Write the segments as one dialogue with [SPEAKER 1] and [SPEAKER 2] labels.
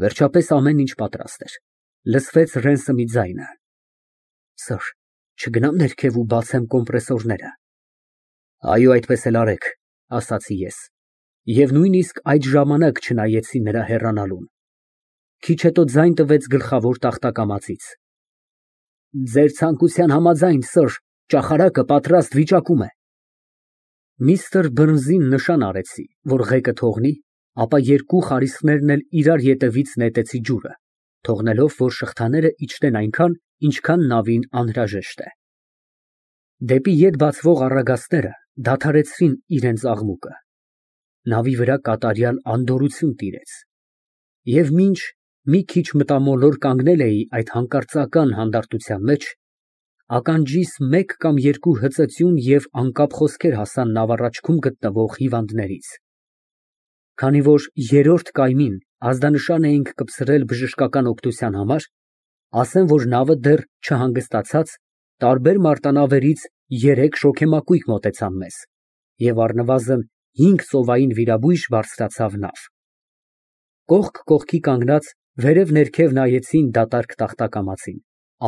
[SPEAKER 1] Վերջապես ամեն ինչ պատրաստ էր։ Լսվեց Ռենսեմի ձայնը. Սըր, չգնամ ներքև ու բացեմ կոմպրեսորները։ Այո, այդպես էլ արեք, ասացի ես, և նույնիսկ այդ ժամանակ չնայեցի նրա հեռանալուն։ Քիչ հետո ձայն տվեց գլխավոր տախտակամածից. Ձեր ցանկության համաձայն, սըր, ճախարակը պատրաստ վիճակում է։ Միստր Բըրնսին նշան արեցի, որ ղեկը թողնի, ապա երկու խարիսխներն էլ իրար ետևից նետեցի ջուրը, թողնելով, որ շղթաները իջնեն այնքան, ինչքան նավին անհրաժեշտ է։ Դեպի ետ բացվող առագաստները դադարեցրին իրենց աղմուկը։ Նավի վրա կատարյալ անդորրություն տիրեց։ Եվ մինչ մի քիչ մտամոլոր կանգնել էի այդ հանկարծական հանդարտության մեջ, ականջիս մեկ կամ երկու հծծյուն և անկապ խոսքեր հասան նավառաջքում գտնվող հիվանդներից։ Քանի որ երրորդ կայմին ազդանշան էինք կպցրել բժշկական օգնության համար, ասեմ, որ նավը դեռ չհանգստացած, տարբեր մարտանավերից երեք շոգեմակույր մոտեցան մեզ, և առնվազն 5 ծովային վիրաբույժ բարձրացավ նավ։ Կողք կողքի կանգնած վերև ներքև նայեցին դատարկ տախտակամածին,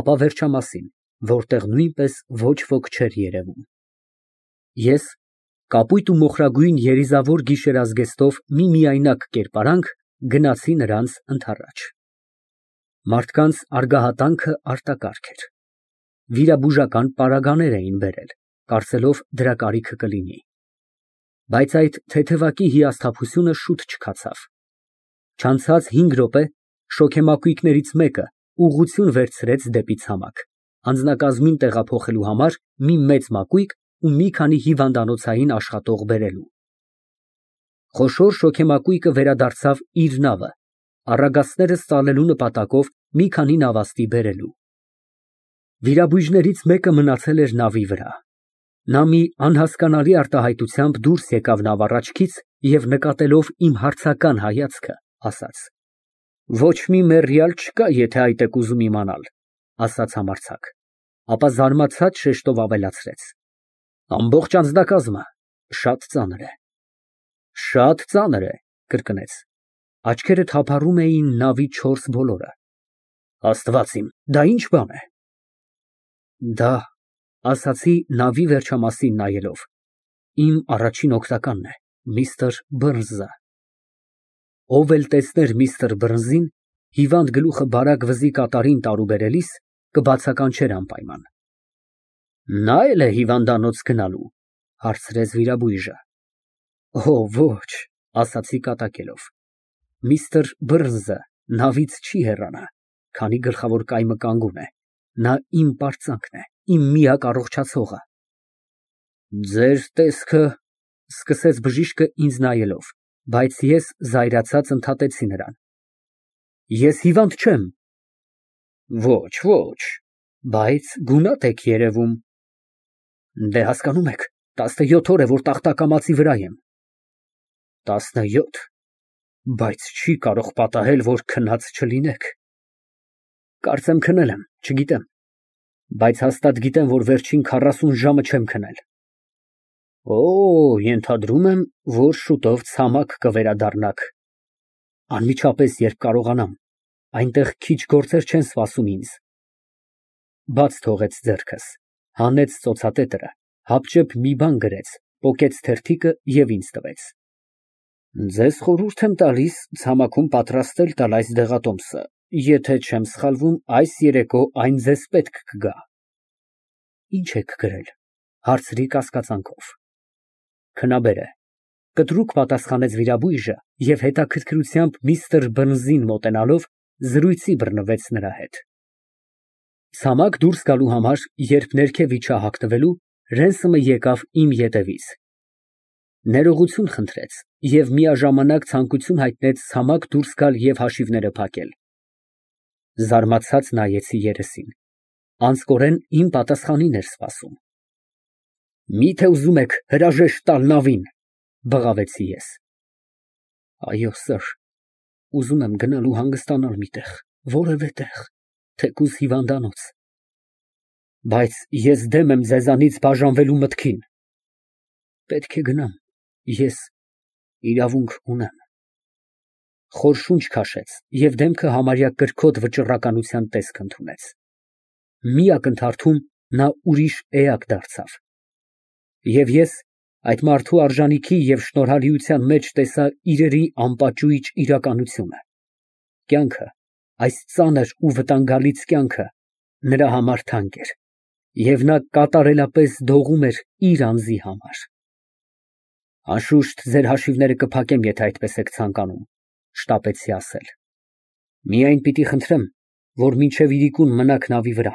[SPEAKER 1] ապա վերջամասին, որտեղ նույնպես ոչ ոք չէր երևում։ Ես կապույտ ու մոխրագույն երիզավոր գիշերազգեստով մի միայնակ կերպարանք գնացի նրանց ընդառաջ։ Մարդկանց արգահատանքը արտակարգ էր։ Վիրաբուժական պարագաներ էին բերել, կարծելով դրա կարիքը կլինի։ Բայց այդ թեթևակի հիասթափությունը շուտ չքացավ։ Չանցած 5 րոպե շոգեմակույկներից մեկը ուղղություն վերցրեց դեպի ցամաք, անձնակազմին տեղափոխելու համար մի մեծ մակույկ ու մի քանի հիվանդանոցային աշխատող բերելու։ Խոշոր շոգեմակույկը վերադարձավ իր նավը, առագաստները ստալելու նպատակով մի քանի նավաստի բերելու։ Վիրաբույժներից մեկը մնացել էր նավի վրա։ Նա մի անհասկանալի արտահայտությամբ դուրս եկավ նավառաջքից և նկատելով իմ հարցական հայացքը, ասաց. Ոչ մի մեռյալ չկա, եթե այդ եք ուզում իմանալ, ասաց համարձակ, ապա զարմացած շեշտով ավելացրեց. Ամբողջ անձնակազմը շատ ծանր է։ Շատ ծանր է, կրկնեց, աչքերը թափառում էին նավի 4 ոլորը։ Աստված իմ, դա ի՞նչ բան է։ Դա, ասացի նավի վերջամասին նայելով, իմ առաջին օգնականն է, միստր Բըրնսը։ Ով էլ տեսներ միստր Բըրնսին, հիվանդ գլուխը բարակ վզի կատարին տարուբերելիս, կբացականչեր անպայման։ Նա էլ է հիվանդանոց գնալու, հարցրեց վիրաբույժը։ Օ, ոչ, ասացի կատակելով, միստր Բըրնսը նավից չի հեռանա, քանի գլխավոր կայմը կանգուն է, նա իմ պարծանքն է, իմ միակ առողջացողը։ Ձեր տեսքը, սկսեց բժիշկը ինձ նայելով, բայց ես զայրացած ընդհատեցի նրան։ Ես հիվանդ չեմ։ Ոչ, ոչ, բայց գունատ եք երևում։ Դե հասկանում եք, 17 օր է, որ տախտակամածի վրա եմ։ 17, բայց չի կարող պատահել, որ քնած չլինեք։ Կարծեմ քնել եմ, չգիտեմ, բայց հաստատ գիտեմ, որ վերջին 40 ժամը չեմ քնել։ Օ, ենթադրում եմ, որ շուտով ցամաք կվերադառնաք։ Անմիջապես, երբ կարողանամ, այնտեղ քիչ գործեր չեն սպասում ինձ։ Բաց թողեց ձեռքս, հանեց ծոցատետրը, հապճեպ մի բան գրեց, պոկեց թերթիկը և ինձ տվեց։ Ձեզ խորհուրդ եմ տալիս ցամաքում պատրաստել տալ այս դեղատոմսը, եթե չեմ սխալվում, այս երեկո այն ձեզ պետք կգա։ Ինչ եք գրել, հարցրի կասկածանքով։ Քնաբեր է, կտրուկ պատասխանեց վիրաբույժը և հետաքրքրությամբ միստր Բըրնսին մոտենալով զրույցի բռնվեց նրա հետ։ Ցամաք դուրս գալու համար, երբ ներքև իջա հագնվելու, Ռենսեմը եկավ իմ ետևից։ Ներողություն խնդրեց և միաժամանակ ցանկություն հայտնեց ցամաք դուրս գալ և հաշիվները փակել։ Զարմացած նայեցի երեսին։ Անձկորեն իմ պատասխանին էր սպասում։ Մի՞թե ուզում եք հրաժեշտ տալ նավին, բղավեցի ես։ Այո, սըր, ուզում եմ գնալ ու հանգստանալ մի տեղ, որևէ տեղ, թեկուզ հիվանդանոց։ Բայց ես դեմ եմ ձեզանից բաժանվելու մտքին։ Պետք է գնամ, ես իրավունք ունեմ։ Խոր շունչ քաշեց և դեմքը համարյա կրքոտ վճռականության տեսք ընդունեց։ Մի ակնթարթում նա ուրիշ էակ դարձավ։ Եվ ես այդ մարդու արժանիքի և շնորհալիության մեջ տեսա իրերի անպաճույճ իրականությունը։ Կյանքը, այս ծանր ու վտանգալից կյանքը նրա համար թանկ էր, և նա կատարելապես դողում էր իր անձի համար։ Անշուշտ ձեր հաշիվները կփակեմ, եթե այդպես եք ցանկանում, շտապեցի ասել։ Միայն պիտի խնդրեմ, որ մինչև իրիկուն մնաք նավի վրա։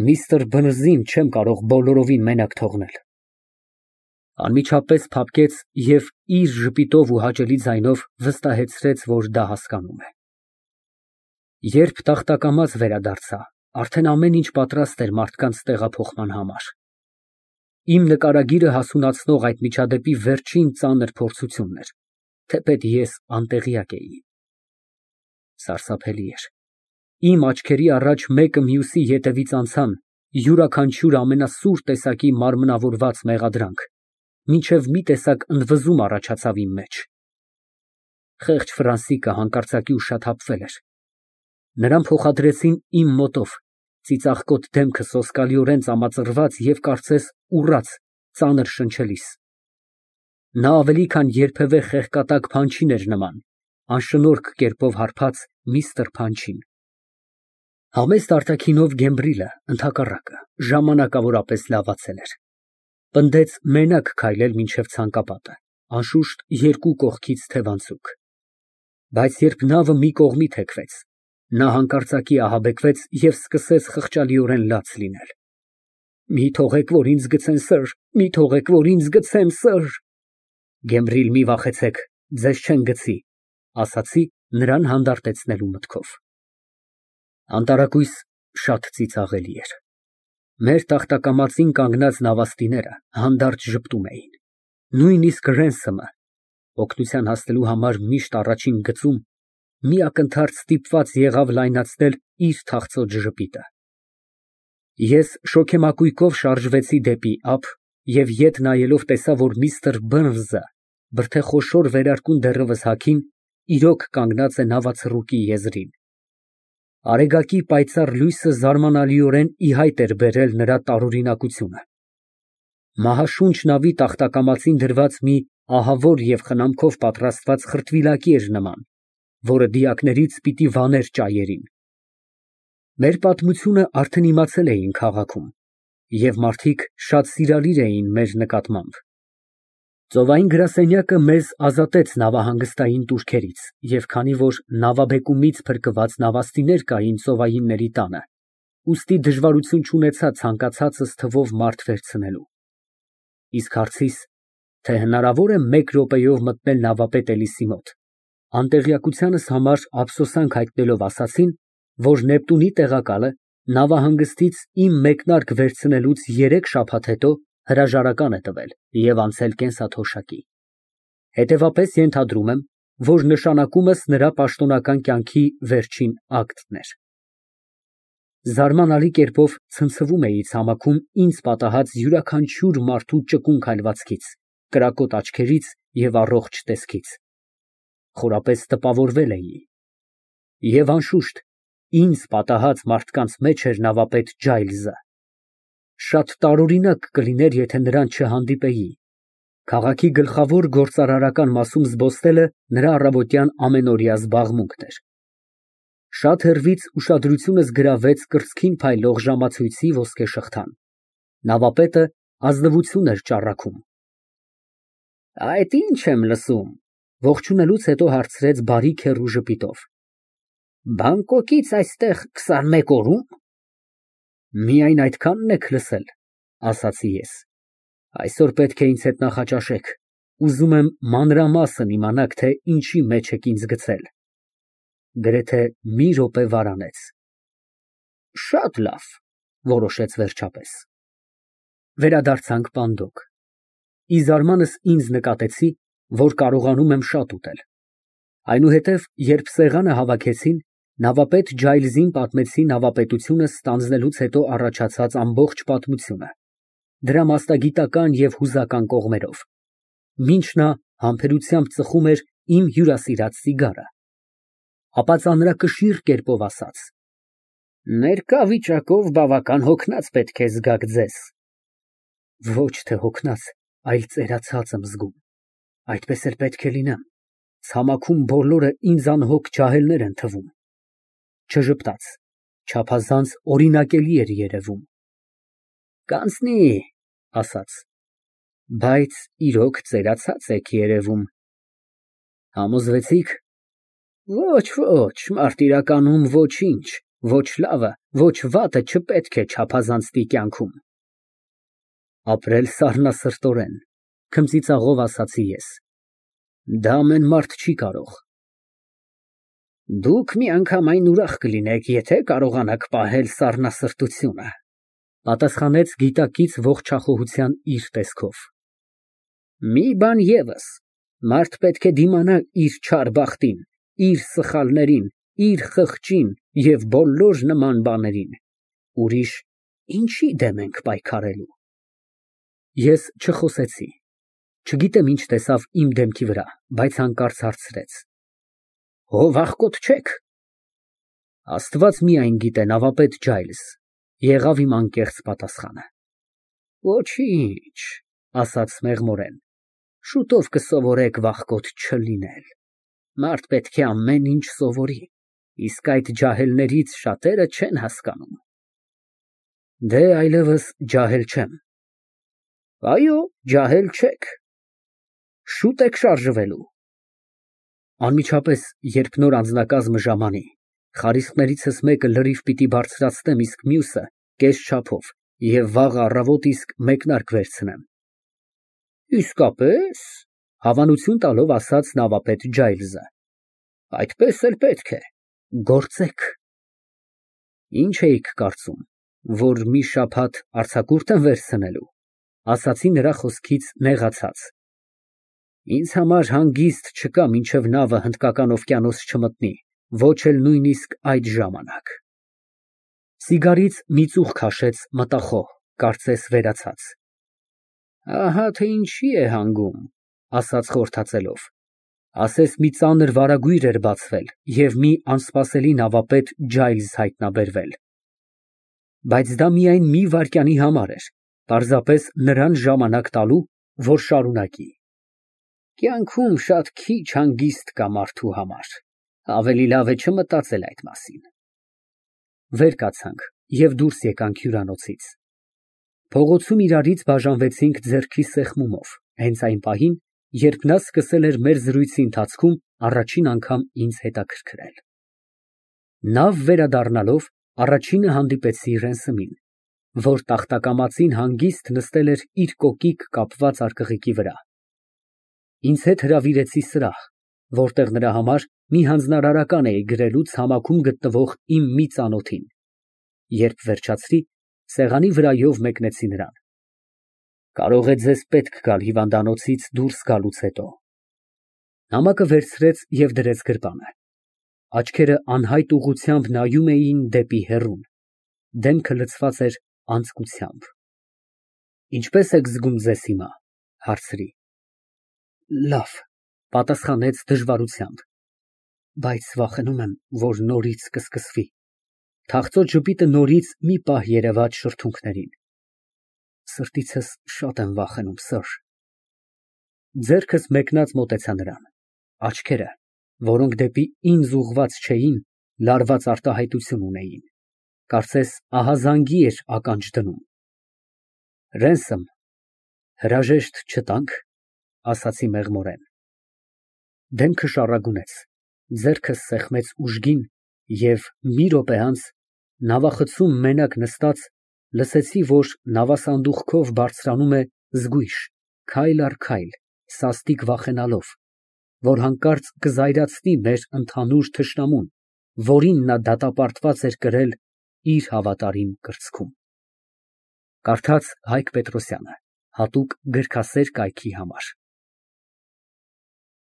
[SPEAKER 1] Միստր Բըրնսին չեմ կարող բոլորովին մենակ թողնել։ Անմիջապես փափկեց և իր ժպիտով ու հաճելի ձայնով վստահեցրեց, որ դա հասկանում է։ Երբ տախտակամած վերադարձա, արդեն ամեն ինչ պատրաստ էր մարդկանց տեղափոխման համար։ Իմ նկարագիրը հասունացնող այդ միջադեպի վերջին ծանր փորձությունն էր, թեպետ ես անտեղյակ էի։ Սարսափելի էր։ Իմ աչքերի առաջ մեկը մյուսի ետևից անցան, յուրաքանչյուր ամենասուր տեսակի մարմնավորված մեղադրանք, մինչև մի տեսակ ընդվզում առաջացավ իմ մեջ։ Խեղճ Ֆրանսիկը հանկարծակի ուշաթափվել էր։ Նրան փոխադրեցին իմ մոտով, ծիծաղկոտ դեմքը սոսկալիորեն ծամածռված և կարծես ուռած, ծանր շնչելիս։ Նա ավելի քան երբևէ խեղկատակ Փանչին էր նման, անշնորհք կերպով հարբած միստր Փանչին։ Համեստ արտաքինով Գեմբրիլը, ընդհակառակը, ժամանակավորապես լավացել էր։ Պնդեց մենակ քայլել մինչև ցանկապատը, անշուշտ երկու կողքից թևանցուկ։ Բայց երբ նավը մի կողմի թեքվեց, նա հանկարծակի ահաբեկվեց և սկսեց խղճալիորեն լաց լինել։ Մի թողեք, որ ինձ գցեն, սըր, մի թողեք, որ ինձ գցեն, սըր։ Գեմբրիլ, մի վախեցեք, ձեզ չեն գցի, ասացի նրան հանդարտեցնելու մտքով։ Անտարակույս շատ ծիծաղելի էր։ Մեր տախտակամածին կանգնած նավաստիները հանդարտ ժպտում էին։ Նույնիսկ Ռենսըմը, օգնության հասնելու համար միշտ առաջին գծում, մի ակնթարթ ստիպված եղավ լայնացնել իր թախծոտ ժպիտը։ Ես շոգեմակույկով շարժվեցի դեպի ափ և ետ նայելով տեսա, որ միստր Բըրնսը, բրդեխորշոր վերարկուն դեռևս հագին, իրոք կանգնած է նավացռուկի եզրին։ Արեգակի պայծառ լույսը զարմանալիորեն ի հայտ էր բերել նրա տարօրինակությունը։ Մահաշունչ նավի տախտակամածին դրված մի ահավոր և խնամքով պատրաստված խրտվիլակի էր նման, որը դիակներից պիտի վաներ ճայերին։ Մեր պատմությունը արդեն իմացել էին քաղաքում, և մարդիկ շատ սիրալիր էին մեր նկատմամբ։ Ծովային գրասենյակը մեզ ազատեց նավահանգստային տուրքերից, և քանի որ նավաբեկումից փրկված նավաստիներ կային ծովայինների տանը, ուստի դժվարություն չունեցա ցանկացածս թվով մարդ վերցնելու։ Իսկ հարցիս, թե հնարավոր է մեկ րոպեով մտնել նավապետ Էլիսի մոտ, անտեղյակությանս համար ափսոսանք հայտնելով ասացին, որ Նեպտունի տեղակալը նավահանգստից իմ մեկնարկ վերցնելուց 3 շաբաթ հետո հրաժարական է տվել և անցել կենսաթոշակի։ Հետևապես ենթադրում եմ, որ նշանակումս նրա պաշտոնական կյանքի վերջին ակտն էր։ Զարմանալի կերպով ցնցվում էի ցամաքում ինձ պատահած յուրաքանչյուր մարդու ճկուն քայլվածքից, կրակոտ աչքերից և առողջ տեսքից։ Խորապես տպավորվել էի։ Եվ անշուշտ, ինձ պատահած մարդկանց մեջ էր նավապետ Ջայլզը։ Շատ տարօրինակ կլիներ, եթե նրան չհանդիպեի։ Քաղաքի գլխավոր գործարարական մասում զբոսնելը նրա առավոտյան ամենօրյա զբաղմունքն էր։ Շատ հեռվից ուշադրությունս գրավեց կրծքին փայլող ժամացույցի ոսկե շղթան։ Նավապետը ազնվություն էր ճառագում։ Այդ ի՞նչ եմ լսում, ողջունելուց հետո հարցրեց բարի քեռու ժպիտով։ Բանգկոկից այստեղ 21 օրո՞ւմ։ Միայն այդքա՞նն եք լսել, ասացի ես։ Այսօր պետք է ինձ հետ նախաճաշեք, ուզում եմ մանրամասն իմանաք, թե ինչի մեջ եք ինձ գցել։ Գրեթե մի րոպե վարանեց։ Շատ լավ, որոշեց վերջապես։ Վերադարձանք պանդոկ։ Ի զարմանս ինձ նկատեցի, որ կարողանում եմ շատ ուտել։ Այնուհետև, երբ սեղանը հավաքեցին, նավապետ Ջայլզին պատմեցի նավապետությունը ստանձնելուց հետո առաջացած ամբողջ պատմությունը, դրա մասնագիտական և հուզական կողմերով, մինչ նա համբերությամբ ծխում էր իմ հյուրասիրած ծիգարը։ Ապա ծանրակշիռ կերպով ասաց. Ներկա վիճակով բավական հոգնած պետք է զգաք ձեզ։ Ոչ թե հոգնած, այլ ծերացած եմ զգում։ Այդպես էլ պետք է լինեմ։ Ցամաքում բոլորը ինձ անհոգ ջահելներ են թվում։ Չժպտաց, չափազանց օրինակելի էր երևում։ Կանցնի, ասաց, բայց իրոք ծերացած եք երևում։ Համոզվեցի՞ք։ Ոչ, ոչ, մարտիրականում ոչինչ, ոչ լավը, ոչ վատը չպետք է չափազանցնի կյանքում։ Ապրել սառնասրտորեն, քմծիծաղով ասացի ես։ Դա ամեն մարդ չի կարող։ Դուք միանգամայն ուրախ կլինեք, եթե կարողանաք պահել սառնասրտությունը, պատասխանեց գիտակից ողջախոհության իր տեսքով։ Մի բան ևս, մարդ պետք է դիմանա իր չար բախտին, իր սխալներին, իր խղճին և բոլոր նման բաներին, ուրիշ ինչի դեմ ենք պայքարելու։ Ես չխոսեցի, չգիտեմ ինչ տեսավ իմ դեմքի վրա, բայց հանկարծ հարցրեց. Ով աղքոտ չեք։ Աստված միայն գիտե, նավապետ Ջայլզ, եղավ իմ անկեղծ պատասխանը։ Ոչինչ, ասաց մեղմորեն, շուտով կսովորեք վախկոտ չլինել։ Մարդ պետք է ամեն ինչ սովորի, իսկ այդ ջահելներից շատերը չեն հասկանում։ Դե այլևս ջահել չեմ։ Այո, ջահել չեք։ Շուտ եք շարժվելու։ Անմիջապես, երբ նոր անձնակազմը ժամանի, խարիսկներիցս մեկը լրիվ պիտի բարձրացնեմ, իսկ մյուսը կես չափով, և վաղ առավոտ իսկ մեկնարկ վերցնեմ։ Իսկապես, հավանություն տալով ասաց նավապետ Ջայլզը։ Այդպես էլ պետք է, գործեք։ Ինչ էիք կարծում, որ մի շաբաթ արձակուրդ եմ վերցնելու, ասացի նրա խոսքից նեղացած։ Ինձ համար հանգիստ չկա, մինչև նավը Հնդկական օվկիանոս չմտնի, ոչ էլ նույնիսկ այդ ժամանակ։ Սիգարից մի ծուխ քաշեց մտախոհ, կարծես վերացած։ Ահա թե ինչի է հանգում, ասաց խորհրդածելով։ Ասես մի ծանր վարագույր էր բացվել և մի անսպասելի նավապետ Ջայլզ հայտնաբերվել։ Բայց դա միայն մի վայրկյանի համար էր, պարզապես նրան ժամանակ տալու, որ շարունակի։ Կյանքում շատ քիչ հանգիստ կա մարդու համար, ավելի լավ է չմտածել այդ մասին։ Վեր կացանք և դուրս եկանք հյուրանոցից։ Փողոցում իրարից բաժանվեցինք ձեռքի սեղմումով, հենց այն պահին, երբ նա սկսել էր մեր զրույցի ընթացքում առաջին անգամ ինձ հետաքրքրել։ Նավ վերադառնալով, առաջինը հանդիպեցի Ռենսումին, որ տախտակամածին հանգիստ նստել էր իր կոկիկ կապված արկղիկի վրա։ Ինձ հետ հրավիրեցի սրահ, որտեղ նրա համար մի հանձնարարական էի գրելու ցամաքում գտնվող իմ մի ծանոթին։ Երբ վերջացրի, սեղանի վրայով մեկնեցի նրան։ Կարող է ձեզ պետք գալ հիվանդանոցից դուրս գալուց հետո։ Նամակը վերցրեց և դրեց գրպանը։ Աչքերը անհայտ ուղղությամբ նայում էին դեպի հեռուն, դեմքը լցված էր անձկությամբ։ Ինչպե՞ս եք զգում ձեզ հիմա, հարցրի։ Լավ, պատասխանեց դժվարությամբ, բայց վախենում եմ, որ նորից կսկսվի։ Թախծոտ ժպիտը նորից մի պահ երևաց շրթունքներին։ Սրտիցս շատ եմ վախենում, սըր։ Ձեռքս մեկնած մոտեցա նրան։ Աչքերը, որոնք դեպի ինձ ուղղված չէին, լարված արտահայտություն ունեին։ Կարծես ահազանգի էր ականջ դնում։ Ռենսում, հրաժեշտ չտանք, ասացի մեղմորեն։ Դեմքը շառագունեց, ձեռքս սեղմեց ուժգին և մի րոպե անց, նավախցում մենակ նստած, լսեցի, որ նավասանդուղքով բարձրանում է զգույշ, քայլ առ քայլ, սաստիկ վախենալով, որ հանկարծ կզայրացնի մեր ընդհանուր թշնամուն, որին նա դատապարտված էր կրել իր հավատարիմ կրծքում։ Կարդաց Հայկ Պետրոսյանը, հատուկ գրքասեր կայքի համար։